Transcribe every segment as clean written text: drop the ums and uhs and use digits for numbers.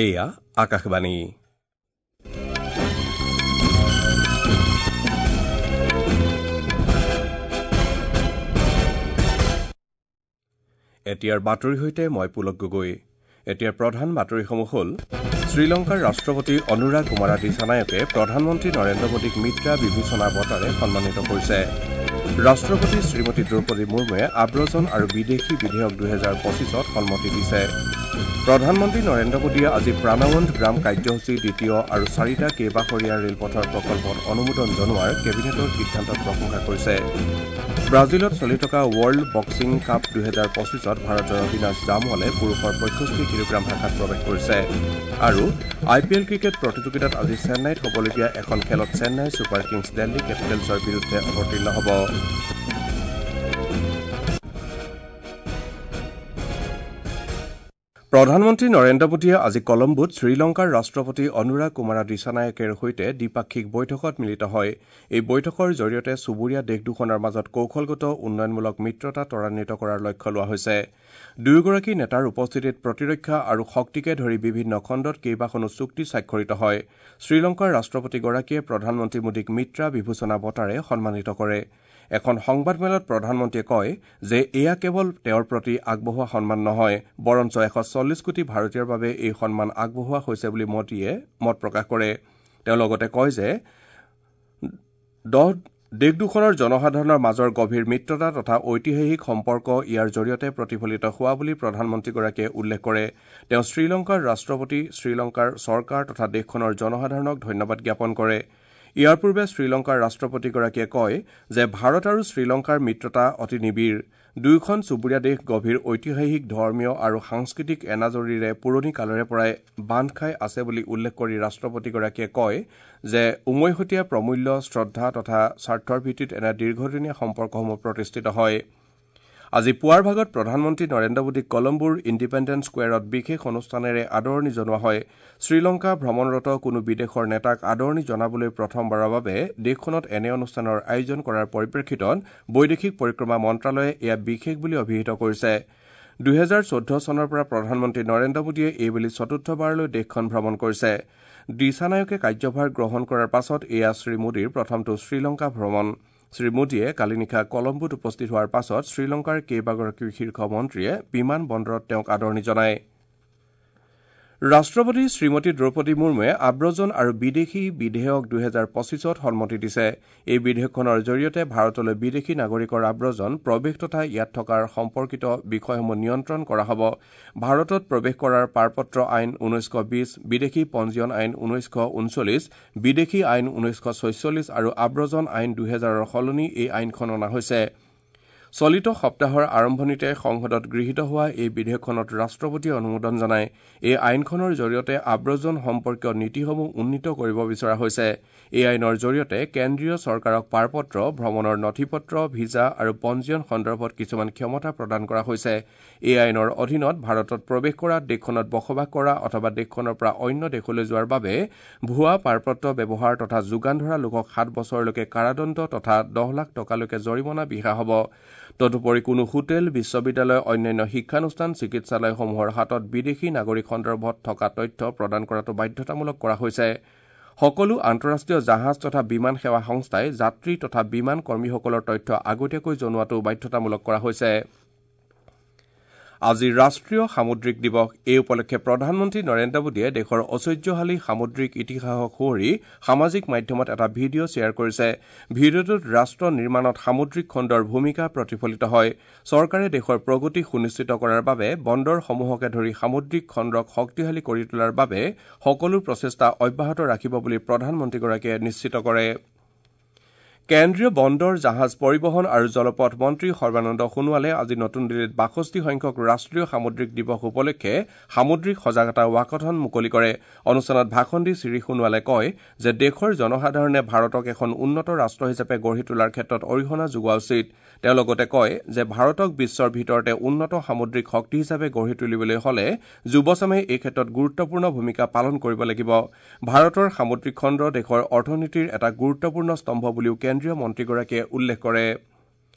এয়া আকাশবাণী। এতিয়াৰ বাতৰিৰ সৈতে মই পুলক গগৈ। এতিয়াৰ প্ৰধান বাতৰিসমূহ হ'ল: শ্ৰীলংকাৰ ৰাষ্ট্ৰপতি অনুৰা কুমাৰা দিছানায়কে প্ৰধানমন্ত্ৰী নৰেন্দ্ৰ মোদীক মিত্ৰা বিভূষণা বঁটাৰে সন্মানিত কৰিছে। ৰাষ্ট্ৰপতি শ্ৰীমতী দ্ৰৌপদী মুৰ্মুৱে আব্ৰজন আৰু বিদেশী বিধেয়ক ২০২৫ত সন্মতি দিছে। প্ৰধানমন্ত্ৰী নৰেন্দ্ৰ মোদীয়ে আজি প্ৰাণৱন্ত গ্ৰাম কাৰ্যসূচী দ্বিতীয় আৰু চাৰিটা কেইবাশৰীয়া ৰেলপথৰ প্ৰকল্পত অনুমোদন জনোৱাৰ কেবিনেটৰ সিদ্ধান্তক প্ৰশংসা কৰিছে। ব্ৰাজিলত চলি থকা ৱৰ্ল্ড বক্সিং কাপ ২০২৫ত ভাৰতৰ অবিনাশ জামৱালে পুৰুষৰ ৬৫ কিলোগ্ৰাম শাখাত প্ৰৱেশ কৰিছে। আৰু আই পি এল ক্ৰিকেট প্ৰতিযোগিতাত আজি চেন্নাইত হ'বলগীয়া এখন খেলত চেন্নাই ছুপাৰ কিংছ দিল্লী কেপিটেলছৰ বিৰুদ্ধে অৱতীৰ্ণ হ'ব। প্ৰধানমন্ত্ৰী নৰেন্দ্ৰ মোদীয়ে আজি কলম্বোত শ্ৰীলংকাৰ ৰাষ্ট্ৰপতি অনুৰা কুমাৰা দিছানায়কেৰ সৈতে দ্বিপাক্ষিক বৈঠকত মিলিত হয়। এই বৈঠকৰ জৰিয়তে চুবুৰীয়া দেশ দুখনৰ মাজত কৌশলগত উন্নয়নমূলক মিত্ৰতা ত্বৰান্বিত কৰাৰ লক্ষ্য লোৱা হৈছে। দুয়োগৰাকী নেতাৰ উপস্থিতিত প্ৰতিৰক্ষা আৰু শক্তিকে ধৰি বিভিন্ন খণ্ডত কেইবাখনো চুক্তি স্বাক্ষৰিত হয়। শ্ৰীলংকাৰ ৰাষ্ট্ৰপতিগৰাকীয়ে প্ৰধানমন্ত্ৰী মোদীক মিত্ৰা বিভূষণা বঁটাৰে সন্মানিত কৰে। এখন সংবাদমেলত প্ৰধানমন্ত্ৰীয়ে কয় যে এয়া কেৱল তেওঁৰ প্ৰতি আগবঢ়োৱা সন্মান নহয়, বৰঞ্চ ১৪০ কোটি ভাৰতীয়ৰ বাবে এই সন্মান আগবঢ়োৱা হৈছে বুলি মোদীয়ে মত প্ৰকাশ কৰে। তেওঁ লগতে কয় যে দেশ দুখনৰ জনসাধাৰণৰ মাজৰ গভীৰ মিত্ৰতা তথা ঐতিহাসিক সম্পৰ্ক ইয়াৰ জৰিয়তে প্ৰতিফলিত হোৱা বুলি প্ৰধানমন্ত্ৰীগৰাকীয়ে উল্লেখ কৰে। তেওঁ শ্ৰীলংকাৰ ৰাষ্ট্ৰপতি, শ্ৰীলংকাৰ চৰকাৰ তথা দেশখনৰ জনসাধাৰণক ধন্যবাদ জ্ঞাপন কৰে। ইয়াৰ পূৰ্বে শ্ৰীলংকাৰ ৰাষ্ট্ৰপতিগৰাকীয়ে কয় যে ভাৰত আৰু শ্ৰীলংকাৰ মিত্ৰতা অতি নিবিড়। দুয়োখন চুবুৰীয়া দেশ গভীৰ ঐতিহাসিক, ধৰ্মীয় আৰু সাংস্কৃতিক এনাজৰীৰে পুৰণি কালৰে পৰাই বান্ধ খাই আছে বুলি উল্লেখ কৰি ৰাষ্ট্ৰপতিগৰাকীয়ে কয় যে উমৈহতীয়া প্ৰমূল্য, শ্ৰদ্ধা তথা স্বাৰ্থৰ ভিত্তিত এনে দীৰ্ঘদিনীয়া সম্পৰ্কসমূহ প্ৰতিষ্ঠিত হয়। আজি পুৱাৰ ভাগত প্ৰধানমন্ত্ৰী নৰেন্দ্ৰ মোদীক কলম্বোৰ ইণ্ডিপেণ্ডেন্স স্কোৱেৰত বিশেষ অনুষ্ঠানেৰে আদৰণি জনোৱা হয়। শ্ৰীলংকা ভ্ৰমণৰত কোনো বিদেশৰ নেতাক আদৰণি জনাবলৈ প্ৰথমবাৰৰ বাবে দেশখনত এনে অনুষ্ঠানৰ আয়োজন কৰাৰ পৰিপ্ৰেক্ষিতত বৈদেশিক পৰিক্ৰমা মন্ত্ৰালয়ে এয়া বিশেষ বুলি অভিহিত কৰিছে। ২০১৪ চনৰ পৰা প্ৰধানমন্ত্ৰী নৰেন্দ্ৰ মোদীয়ে এইবেলি চতুৰ্থবাৰলৈ দেশখন ভ্ৰমণ কৰিছে। দিছানায়কে কাৰ্যভাৰ গ্ৰহণ কৰাৰ পাছত এয়া শ্ৰীমোদীৰ প্ৰথমটো শ্ৰীলংকা ভ্ৰমণ। শ্ৰীমোদীয়ে কালি নিশা কলম্বোত উপস্থিত হোৱাৰ পাছত শ্ৰীলংকাৰ কেইবাগৰাকীও শীৰ্ষ মন্ত্ৰীয়ে বিমান বন্দৰত তেওঁক আদৰণি জনায়। ৰাষ্ট্ৰপতি শ্ৰীমতী দ্ৰৌপদী মুৰ্মুৱে আব্ৰজন আৰু বিদেশী বিধেয়ক ২০২৫ত সন্মতি দিছে। এই বিধেয়কখনৰ জৰিয়তে ভাৰতলৈ বিদেশী নাগৰিকৰ আব্ৰজন, প্ৰৱেশ তথা ইয়াত থকাৰ সম্পৰ্কিত বিষয়সমূহ নিয়ন্ত্ৰণ কৰা হ'ব। ভাৰতত প্ৰৱেশ কৰাৰ পাৰপত্ৰ আইন ১৯২০, বিদেশী পঞ্জীয়ন আইন ১৯৩৯, বিদেশী আইন ১৯৪৬ আৰু আব্ৰজন আইন ২০০০ৰ সলনি এই আইনখন অনা হৈছে। চলিত সপ্তাহৰ আৰম্ভণিতে সংসদত গৃহীত হোৱা এই বিধেয়কখনত ৰাষ্ট্ৰপতিয়ে অনুমোদন জনায়। এই আইনখনৰ জৰিয়তে আব্ৰজন সম্পৰ্কীয় নীতিসমূহ উন্নীত কৰিব বিচৰা হৈছে। এই আইনৰ জৰিয়তে কেন্দ্ৰীয় চৰকাৰক পাৰপত্ৰ, ভ্ৰমণৰ নথিপত্ৰ, ভিজা আৰু পঞ্জীয়ন সন্দৰ্ভত কিছুমান ক্ষমতা প্ৰদান কৰা হৈছে। এই আইনৰ অধীনত ভাৰতত প্ৰৱেশ কৰা, দেশখনত বসবাস কৰা অথবা দেশখনৰ পৰা অন্য দেশলৈ যোৱাৰ বাবে ভুৱা পাৰপত্ৰ ব্যৱহাৰ তথা যোগান ধৰা লোকক ৭ বছৰলৈকে কাৰাদণ্ড তথা ১০ লাখ টকালৈকে জৰিমনা বিহা হ'ব। তদুপৰি কোনো হোটেল, বিশ্ববিদ্যালয়, অন্যান্য শিক্ষানুষ্ঠান, চিকিৎসালয়সমূহৰ হাতত বিদেশী নাগৰিক সন্দৰ্ভত থকা তথ্য প্ৰদান কৰাটো বাধ্যতামূলক কৰা হৈছে। সকলো আন্তঃৰাষ্ট্ৰীয় জাহাজ তথা বিমান সেৱা সংস্থাই যাত্ৰী তথা বিমান কৰ্মীসকলৰ তথ্য আগতীয়াকৈ জনোৱাটো বাধ্যতামূলক কৰা হৈছে। আজি ৰাষ্ট্ৰীয় সামুদ্ৰিক দিৱস। এই উপলক্ষে প্ৰধানমন্ত্ৰী নৰেন্দ্ৰ মোদীয়ে দেশৰ ঐশ্বৰ্যশালী সামুদ্ৰিক ইতিহাসক সুঁৱৰি সামাজিক মাধ্যমত এটা ভিডিঅ' শ্বেয়াৰ কৰিছে। ভিডিঅ'টোত ৰাষ্ট্ৰ নিৰ্মাণত সামুদ্ৰিক খণ্ডৰ ভূমিকা প্ৰতিফলিত হয়। চৰকাৰে দেশৰ প্ৰগতি সুনিশ্চিত কৰাৰ বাবে বন্দৰসমূহকে ধৰি সামুদ্ৰিক খণ্ডক শক্তিশালী কৰি তোলাৰ বাবে সকলো প্ৰচেষ্টা অব্যাহত ৰাখিব বুলি প্ৰধানমন্ত্ৰীগৰাকীয়ে নিশ্চিত কৰে। কেন্দ্ৰীয় বন্দৰ, জাহাজ পৰিবহণ আৰু জলপথ মন্ত্ৰী সৰ্বানন্দ সোণোৱালে আজি নতুন দিল্লীত ৬২ সংখ্যক ৰাষ্ট্ৰীয় সামুদ্ৰিক দিৱস উপলক্ষে সামুদ্ৰিক সজাগতা ৱাকথন মুকলি কৰে। অনুষ্ঠানত ভাষণ দি শ্ৰী সোণোৱালে কয় যে দেশৰ জনসাধাৰণে ভাৰতক এখন উন্নত ৰাষ্ট্ৰ হিচাপে গঢ়ি তোলাৰ ক্ষেত্ৰত অৰিহণা যোগোৱা উচিত। তেওঁ লগতে কয় যে ভাৰতক বিশ্বৰ ভিতৰতে উন্নত সামুদ্ৰিক শক্তি হিচাপে গঢ়ি তুলিবলৈ হলে যুৱচামে এই ক্ষেত্ৰত গুৰুত্বপূৰ্ণ ভূমিকা পালন কৰিব লাগিব। ভাৰতৰ সামুদ্ৰিক খণ্ড দেশৰ অৰ্থনীতিৰ এটা গুৰুত্বপূৰ্ণ স্তম্ভ বুলিও কেন্দ্ৰীয় মন্ত্ৰীগৰাকীয়ে উল্লেখ কৰে।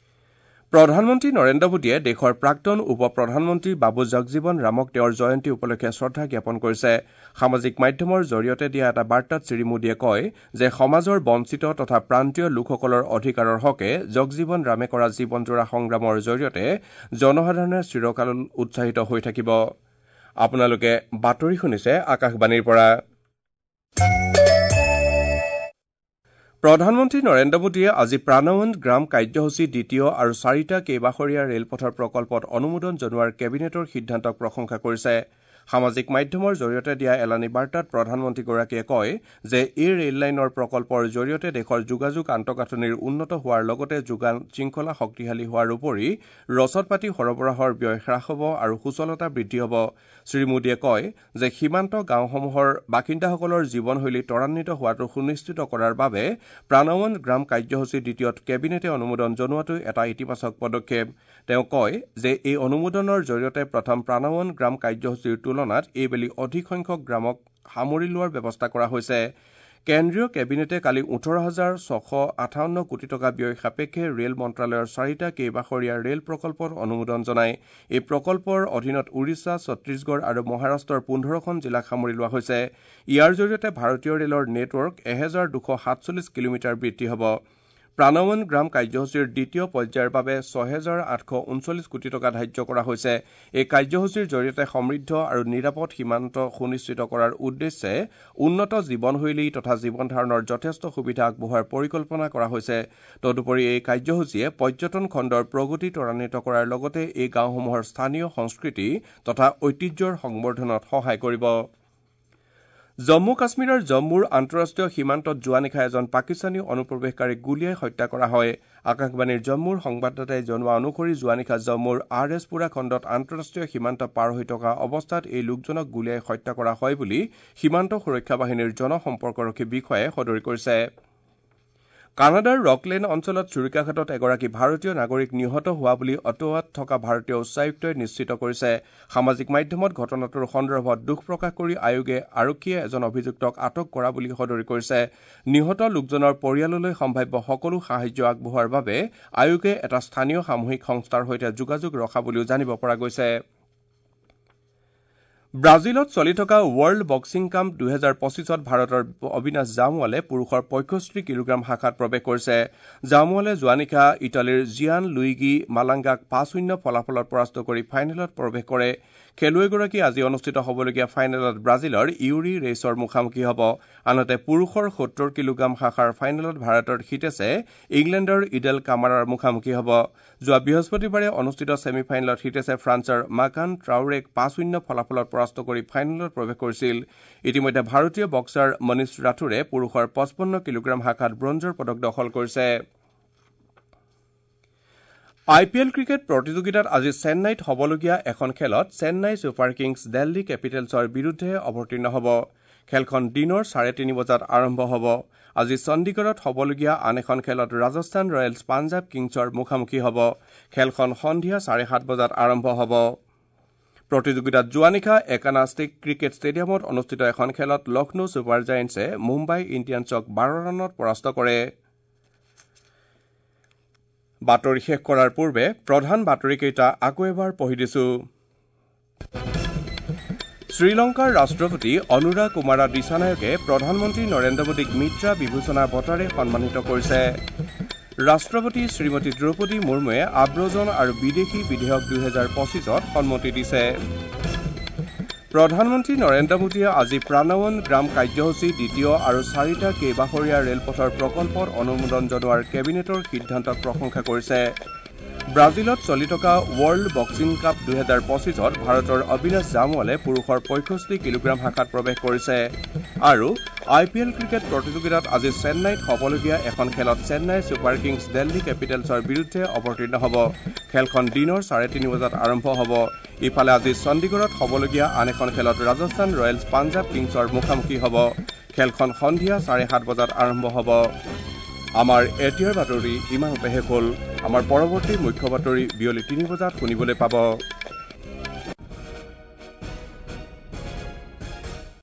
প্ৰধানমন্ত্ৰী নৰেন্দ্ৰ মোদীয়ে দেশৰ প্ৰাক্তন উপ প্ৰধানমন্ত্ৰী বাবু জগজীৱন ৰামক তেওঁৰ জয়ন্তী উপলক্ষে শ্ৰদ্ধা জ্ঞাপন কৰিছে। সামাজিক মাধ্যমৰ জৰিয়তে দিয়া এটা বাৰ্তাত শ্ৰী মোদীয়ে কয় যে সমাজৰ বঞ্চিত তথা প্ৰান্তীয় লোকসকলৰ অধিকাৰৰ হকে জগজীৱন ৰামে কৰা জীৱনজোৰা সংগ্ৰামৰ জৰিয়তে জনসাধাৰণে চিৰকাল উৎসাহিত হৈ থাকিব। আপোনালোকে বাতৰি শুনিছে আকাশবাণীৰ পৰা। প্ৰধানমন্ত্ৰী নৰেন্দ্ৰ মোদীয়ে আজি প্ৰাণৱন্ত গ্ৰাম কাৰ্যসূচী দ্বিতীয় আৰু চাৰিটা কেইবাশৰীয়া ৰেলপথৰ প্ৰকল্পত অনুমোদন জনোৱাৰ কেবিনেটৰ সিদ্ধান্তক প্ৰশংসা কৰিছে। সামাজিক মাধ্যমৰ জৰিয়তে দিয়া এলানি বাৰ্তাত প্ৰধানমন্ত্ৰীগৰাকীয়ে কয় যে এই ৰেললাইনৰ প্ৰকল্পৰ জৰিয়তে দেশৰ যোগাযোগ আন্তঃগাঁথনিৰ উন্নত হোৱাৰ লগতে যোগান শৃংখলা শক্তিশালী হোৱাৰ উপৰি ৰচদ পাতি সৰবৰাহৰ ব্যয় হ্ৰাস হ'ব আৰু সুচলতা বৃদ্ধি হ'ব। শ্ৰী মোদীয়ে কয় যে সীমান্ত গাঁওসমূহৰ বাসিন্দাসকলৰ জীৱনশৈলী ত্বৰান্বিত হোৱাটো সুনিশ্চিত কৰাৰ বাবে প্ৰাণৱন্ত গ্ৰাম কাৰ্যসূচী দ্বিতীয়ত কেবিনেটে অনুমোদন জনোৱাটো এটা ইতিবাচক পদক্ষেপ। তেওঁ কয় যে এই অনুমোদনৰ জৰিয়তে প্ৰথম প্ৰাণৱন্ত গ্ৰাম কাৰ্যসূচীৰ তুলনাত এইবেলি অধিক সংখ্যক গ্ৰামক সামৰি লোৱাৰ ব্যৱস্থা কৰা হৈছে। কেন্দ্ৰীয় কেবিনেটে কালি ১৮,৬৫৮ কোটি টকা ব্যয় সাপেক্ষে ৰেল মন্ত্ৰালয়ৰ চাৰিটা কেইবাশৰীয়া ৰেল প্ৰকল্পত অনুমোদন জনায়। এই প্ৰকল্পৰ অধীনত উৰিষ্যা, ছত্তীশগড় আৰু মহাৰাষ্ট্ৰৰ ১৫খন জিলাক সামৰি লোৱা হৈছে। ইয়াৰ জৰিয়তে ভাৰতীয় ৰেলৰ নেটৱৰ্ক ১২৪৭ কিলোমিটাৰ বৃদ্ধি হ'ব। প্ৰাণৱন্ত গ্ৰাম কাৰ্যসূচীৰ দ্বিতীয় পৰ্যায়ৰ বাবে ৬,৮৩৯ কোটি টকা ধাৰ্য কৰা হৈছে। এই কাৰ্যসূচীৰ জৰিয়তে সমৃদ্ধ আৰু নিৰাপদ সীমান্ত সুনিশ্চিত কৰাৰ উদ্দেশ্যে উন্নত জীৱনশৈলী তথা জীৱন ধাৰণৰ যথেষ্ট সুবিধা আগবঢ়োৱাৰ পৰিকল্পনা কৰা হৈছে। তদুপৰি এই কাৰ্যসূচীয়ে পৰ্যটন খণ্ডৰ প্ৰগতি ত্বৰান্বিত কৰাৰ লগতে এই গাঁওসমূহৰ স্থানীয় সংস্কৃতি তথা ঐতিহ্যৰ সংবৰ্ধনত সহায় কৰিব। জম্মু কাশ্মীৰৰ জম্মুৰ আন্তঃৰাষ্ট্ৰীয় সীমান্তত যোৱা নিশা এজন পাকিস্তানী অনুপ্ৰৱেশকাৰীক গুলীয়াই হত্যা কৰা হয়। আকাশবাণীৰ জম্মুৰ সংবাদদাতাই জনোৱা অনুসৰি যোৱা নিশা জম্মুৰ আৰ এছ পুৰা খণ্ডত আন্তঃৰাষ্ট্ৰীয় সীমান্ত পাৰ হৈ থকা অৱস্থাত এই লোকজনক গুলীয়াই হত্যা কৰা হয় বুলি সীমান্ত সুৰক্ষা বাহিনীৰ জনসম্পৰ্কৰক্ষী বিষয়াই সদৰি কৰিছে। কানাডাৰ ৰকলেণ্ড অঞ্চলত ছুৰিকাঘাতত এগৰাকী ভাৰতীয় নাগৰিক নিহত হোৱা বুলি অটোৱাত থকা ভাৰতীয় উচ্চায়ুক্তই নিশ্চিত কৰিছে। সামাজিক মাধ্যমত ঘটনাটোৰ সন্দৰ্ভত দুখ প্ৰকাশ কৰি আয়োগে আৰক্ষীয়ে এজন অভিযুক্তক আটক কৰা বুলি সদৰি কৰিছে। নিহত লোকজনৰ পৰিয়াললৈ সম্ভাৱ্য সকলো সাহায্য আগবঢ়োৱাৰ বাবে আয়োগে এটা স্থানীয় সামূহিক সংস্থাৰ সৈতে যোগাযোগ ৰখা বুলিও জানিব পৰা গৈছে। ব্ৰাজিলত চলি থকা ৱৰ্ল্ড বক্সিং কাপ ২০২৫ত ভাৰতৰ অবিনাশ জামৱালে পুৰুষৰ ৬৫ কিলোগ্ৰাম শাখাত প্ৰৱেশ কৰিছে। জামৱালে যোৱা নিশা ইটালীৰ জিয়ান লুইগি মালাংগাক ৫-০ ফলাফলত পৰাস্ত কৰি ফাইনেলত প্ৰৱেশ কৰে। খেলুৱৈগৰাকী আজি অনুষ্ঠিত হ'বলগীয়া ফাইনেলত ব্ৰাজিলৰ ইউৰি ৰেইছৰ মুখামুখি হ'ব। আনহাতে পুৰুষৰ ৭০ কিলোগ্ৰাম শাখাৰ ফাইনেলত ভাৰতৰ হিতেশে ইংলেণ্ডৰ ইডেল কামাৰাৰ মুখামুখি হ'ব। যোৱা বৃহস্পতিবাৰে অনুষ্ঠিত ছেমি ফাইনেলত হিতেশে ফ্ৰান্সৰ মাকান ট্ৰাউৰেক ৫-০ ফলাফলত পৰাস্ত কৰি ফাইনেলত প্ৰৱেশ কৰিছিল। ইতিমধ্যে ভাৰতীয় বক্সাৰ মনীষ ৰাথোৰে পুৰুষৰ ৫৫ কিলোগ্ৰাম শাখাত ব্ৰঞ্জৰ পদক দখল কৰিছে। আই পি এল ক্ৰিকেট প্ৰতিযোগিতাত আজি চেন্নাইত হ'বলগীয়া এখন খেলত চেন্নাই ছুপাৰ কিংছ দিল্লী কেপিটেলছৰ বিৰুদ্ধে অৱতীৰ্ণ হ'ব। খেলখন দিনৰ ৩:৩০ বজাত আৰম্ভ হ'ব। আজি চণ্ডীগড়ত হ'বলগীয়া আন এখন খেলত ৰাজস্থান ৰয়েলছ পাঞ্জাৱ কিংছৰ মুখামুখি হ'ব। খেলখন সন্ধিয়া ৭:৩০ বজাত আৰম্ভ হ'ব। প্ৰতিযোগিতাত যোৱা নিশা একানা ক্ৰিকেট ষ্টেডিয়ামত অনুষ্ঠিত এখন খেলত লক্ষ্ণৌ ছুপাৰ জায়েণ্টছে মুম্বাই ইণ্ডিয়ানছক ১২ ৰানত পৰাস্ত কৰে। বাতৰি শেষ কৰাৰ পূৰ্বে প্ৰধান বাতৰিকেইটা আকৌ এবাৰ পঢ়ি দিছো। শ্ৰীলংকাৰ ৰাষ্ট্ৰপতি অনুৰা কুমাৰা দিছানায়কে প্ৰধানমন্ত্ৰী নৰেন্দ্ৰ মোদীক মিত্ৰা বিভূষণা বঁটাৰে সন্মানিত কৰিছে। ৰাষ্ট্ৰপতি শ্ৰীমতী দ্ৰৌপদী মুৰ্মুৱে আব্ৰজন আৰু বিদেশী বিধেয়ক ২০২৫ত সন্মতি দিছে। প্ৰধানমন্ত্ৰী নৰেন্দ্ৰ মোদীয়ে আজি প্ৰাণৱন্ত গ্ৰাম কাৰ্যসূচী দ্বিতীয় আৰু চাৰিটা কেইবাশৰীয়া ৰেলপথৰ প্ৰকল্পত অনুমোদন জনোৱাৰ কেবিনেটৰ সিদ্ধান্তক প্ৰশংসা কৰিছে। ব্ৰাজিলত চলি থকা ৱৰ্ল্ড বক্সিং কাপ ২০২৫ত ভাৰতৰ অবিনাশ জামৱালে পুৰুষৰ ৬৫ কিলোগ্ৰাম শাখাত প্ৰৱেশ কৰিছে। আৰু আই পি এল ক্ৰিকেট প্ৰতিযোগিতাত আজি চেন্নাইত হ'বলগীয়া এখন খেলত চেন্নাই ছুপাৰ কিংছ দিল্লী কেপিটেলছৰ বিৰুদ্ধে অৱতীৰ্ণ হ'ব। খেলখন দিনৰ ৩:৩০ বজাত আৰম্ভ হ'ব। ইফালে আজি চণ্ডীগড়ত হ'বলগীয়া আন এখন খেলত ৰাজস্থান ৰয়েলছ পাঞ্জাৱ কিংছৰ মুখামুখি হ'ব। খেলখন সন্ধিয়া ৭:৩০ বজাত আৰম্ভ হ'ব। আমাৰ এতিয়াৰ বাতৰি ইমানতে শেষ হ'ল। আমাৰ পৰৱৰ্তী মুখ্য বাতৰি বিয়লি ৩ বজাত শুনিবলৈ পাব।